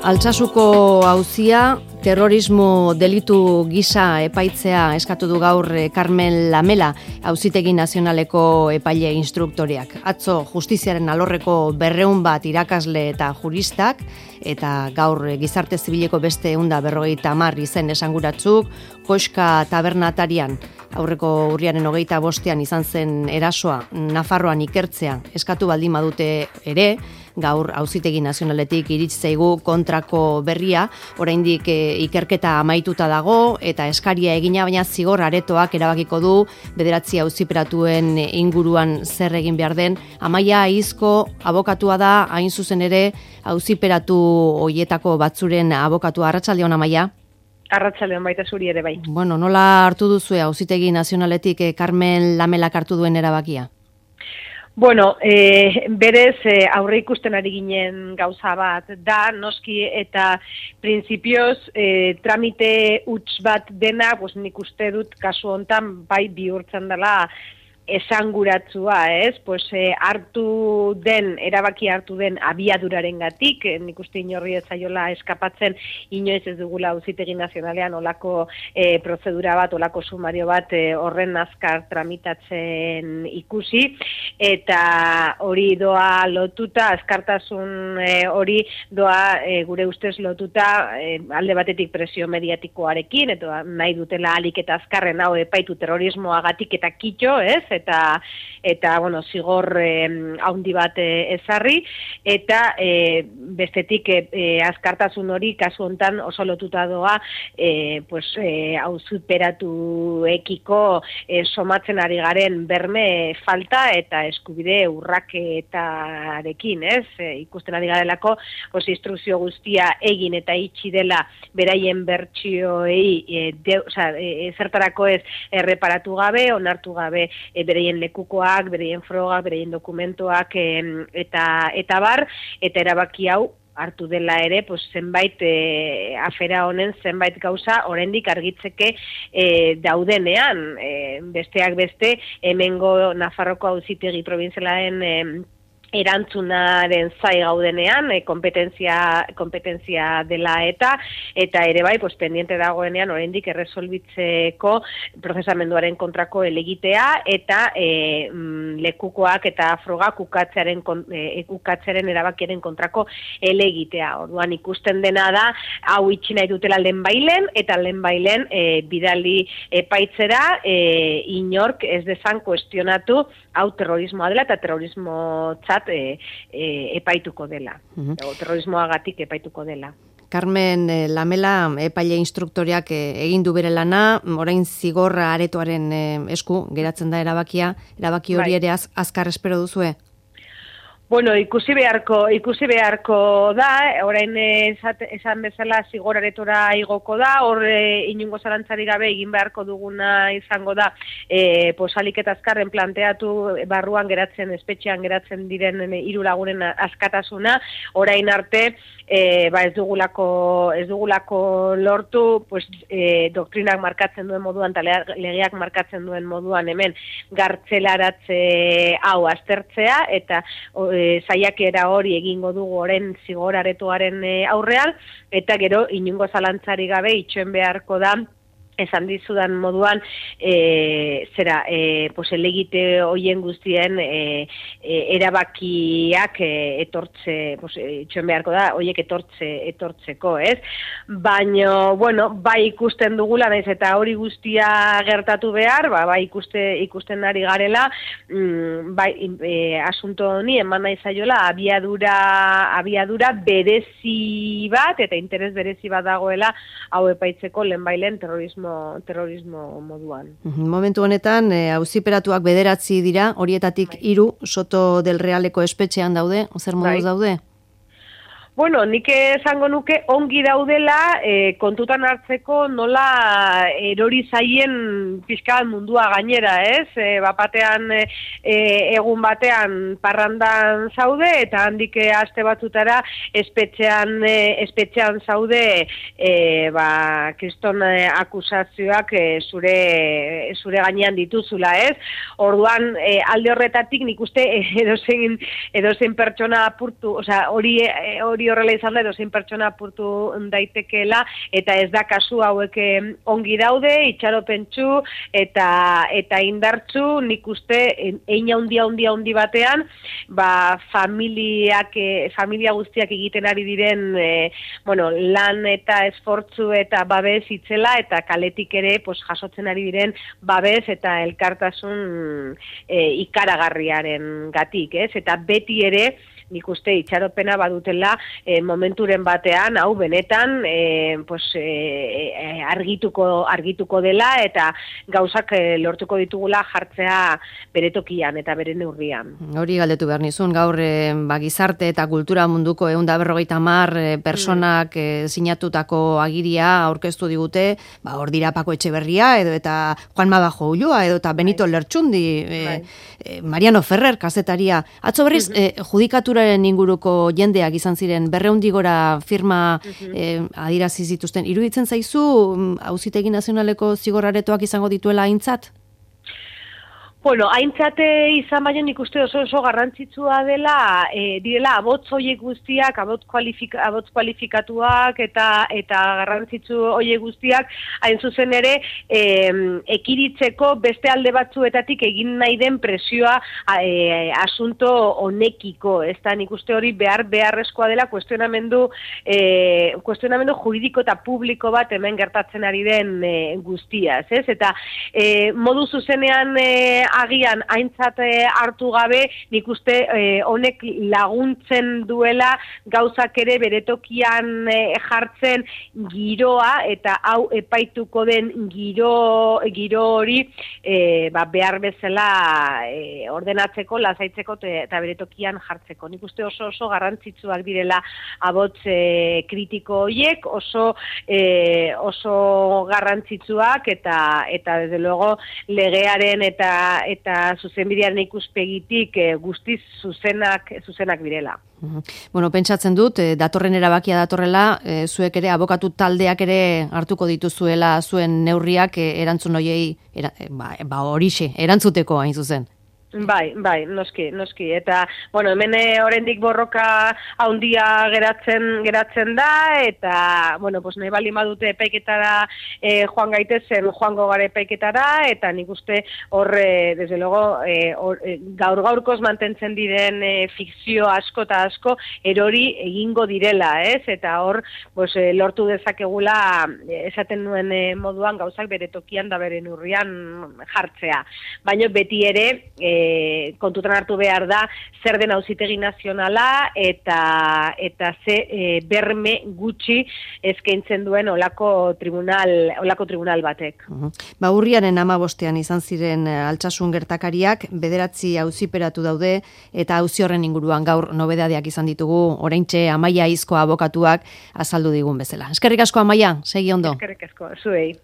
Altsasuko auzia terrorismo delitu gisa epaitzea eskatu du gaur Carmen Lamela, Auzitegi Nazionaleko epaile instruktoreak. Atzo justiziaren alorreko 200 bat irakasle eta juristak, eta gaur gizarte zibileko beste 150 izen esanguratzuk, Koxka tabernatarian aurreko urriaren 25ean izan zen erasoa Nafarroan ikertzea eskatu baldin badute ere, gaur Auzitegi Nazionaletik iritsi zaigu kontrako berria, oraindik ikerketa amaituta dago eta eskaria egina, baina zigor aretoak erabakiko du 9 auziperatuen inguruan zer egin behar den. Amaia Aizko abokatua da, hain zuzen ere auziperatu hoietako batzuren abokatua. Arratsaldeon, Amaia. Arratsaldeon baita zuri ere bai. Bueno, nola hartu duzue Auzitegi Nazionaletik Carmen Lamelak hartu duen erabakia? Bueno, berez aurre ikusten ari ginen gauza bat da, noski eta printzipioz tramite huts bat dena, pues nik uste dut kasu hontan bai bihurtzen dela esanguratzua, ez? Pues erabaki hartu den abiadurarengatik, nik uste inorri ez zaiola eskapatzen, inoiz ez dugula Auzitegi Nazionalean olako prozedura bat, olako sumario bat horren azkar tramitatzen ikusi, eta hori doa lotuta, azkartasun hori doa gure ustez lotuta alde batetik presio mediatikoarekin, eta nahi dutela alik eta azkarren hau epaitu terrorismoagatik eta kitxo, ez? Eta bueno, zigor haundi bat ezarri, eta bestetik azkartasun hori kasu hontan oso lotuta doa auziperatuekiko somatzen ari garen berme falta eta eskubide urraketarekin, ez? Ikusten ari garelako, instrukzio guztia egin eta itxi dela beraien bertsioei zertarako ez erreparatu gabe, onartu gabe bereien lekukoak, bereien frogak, bereien dokumentoak eta bar, eta erabaki hau hartu dela ere, zenbait afera honen zenbait gauza oraindik argitzeke daudenean, besteak beste, hemengo Nafarroko Auzitegi Probintzialaren erantzunaren zai gaudenean, kompetentzia dela eta ere bai, pendiente dagoenean oraindik erresolbitzeko prozesamenduaren kontrako helegitea eta lekukoak eta frogak ukatzearen erabakiaren kontrako helegitea. Orduan ikusten dena da, hau itxi nahi dutela lehenbailen, eta lehenbailen bidali epaitzera inork ez dezan kuestionatu hau terrorismoa dela eta terrorismotzat epaituko dela, terrorismoagatik epaituko dela. Carmen Lamela, epaile instruktoreak egin du bere lana, orain zigorra aretoaren esku geratzen da erabaki hori ere azkar espero duzue? Bueno, ikusi beharko da, orain esan bezala zigor aretora igoko da, hor inongo zalantzari gabe egin beharko duguna izango da, alik eta azkarren planteatu barruan geratzen, espetxean geratzen diren 3 lagunen askatasuna, orain arte ez dugulako lortu, doktrinak markatzen duen moduan, eta legeak markatzen duen moduan hemen gartzelaratze hau aztertzea, eta saiakera hori egingo dugu oren zigor aretoaren aurrean, eta gero inongo zalantzari gabe itxoen beharko da, esan dizudan moduan, helegite hoien guztien erabakiak itxoen beharko da, hoiek etortzeko, ez? Baina, bueno, bai ikusten dugula, naiz eta hori guztia gertatu behar, bai ikusten ari garela, asunto honi eman nahi zaiola abiadura berezi bat, eta interes berezi bat dagoela hau epaitzeko lehenbailen terrorismo moduan. Momentu honetan, auziperatuak 9 dira, horietatik 3 Soto del Realeko espetxean daude, zer moduz daude? Bueno, nik esango nuke ongi daudela kontutan hartzeko nola erori zaien pixka mundua gainera, ez? Bapatean egun batean parrandan zaude eta handik aste batzutara espetxean zaude kriston akusazioak zure gainean dituzula, ez? Orduan alde horretatik nik uste edozein pertsona apurtu, hori hori horrela izan da, edozein pertsona apurtu daitekeela, eta ez da kasu hauek ongi daude, itxaropentsu eta indartsu, nik uste hein handi batean, familia guztiak egiten ari diren lan eta esfortzu eta babes itzela, eta kaletik ere jasotzen ari diren babes eta elkartasun ikaragarriaren gatik, ez? Eta beti ere, nik uste itxaropena badutela momenturen batean, hau benetan argituko dela, eta gauzak lortuko ditugula jartzea bere tokian eta bere neurrian. Hori galdetu behar nizun, gaur gizarte eta kultura munduko 150 personak sinatutako agiria aurkeztu digute, hor dira Pako Etxeberria, edo eta Juan Mabajo Ulloa, edo eta Benito Lertxundi, Mariano Ferrer, kazetaria. Atzo berriz, judikaturaren inguruko jendeak izan ziren, 200 gora firma adirazi zituzten. Iruditzen zaizu, Auzitegi Nazionaleko zigor-aretoak izango dituela aintzat? Bueno, aintzate izan baino nik uste oso garrantzitsua dela, direla abotz hoiek guztiak, abotz kualifikatuak eta garrantzitsu hoiek guztiak, hain zuzen ere, ekiritzeko beste alde batzuetatik egin nahi den presioa asunto honekiko, ez da nik uste hori beharrezkoa dela kuestionamendu juridiko eta publiko bat hemen gertatzen ari den guztiaz, ez? Eta modu zuzenean agian aintzat hartu gabe, nik uste honek laguntzen duela gauzak ere beretokian jartzen giroa, eta hau epaituko den giro hori behar bezala ordenatzeko, lasaitzeko eta beretokian jartzeko. Nik uste oso garrantzitsuak direla abotz kritiko horiek, oso garrantzitsuak eta desde luego legearen eta zuzenbidearen ikuspegitik guztiz zuzenak direla. Bueno, pentsatzen dut, datorren erabakia datorrela, zuek ere, abokatu taldeak ere hartuko dituzuela zuen neurriak erantzun hoiei, horixe, erantzuteko hain zuzen. Bai, noski. Eta, bueno, hemen oraindik borroka handia geratzen da, eta, bueno, nahi bali madute epaiketara joan joango gara epaiketara, eta nik uste hor, desde luego, gaurkoz mantentzen diren fikzio asko eta asko, erori egingo direla, ez? Eta hor, lortu dezakegula, esaten nuen moduan, gauzak bere tokian da bere neurrian jartzea. Baina beti ere, kontutan hartu behar da zer den Auzitegi Nazionala eta ze berme gutxi eskaintzen duen olako tribunal batek. Urriaren 15ean izan ziren Altsasun gertakariak, 9 auziperatu daude, eta auzi horren inguruan gaur nobedadeak izan ditugu, oraintxe Amaia Izko abokatuak azaldu digun bezala. Eskerrik asko, Amaia, segi ondo. Eskerrik asko, zuei.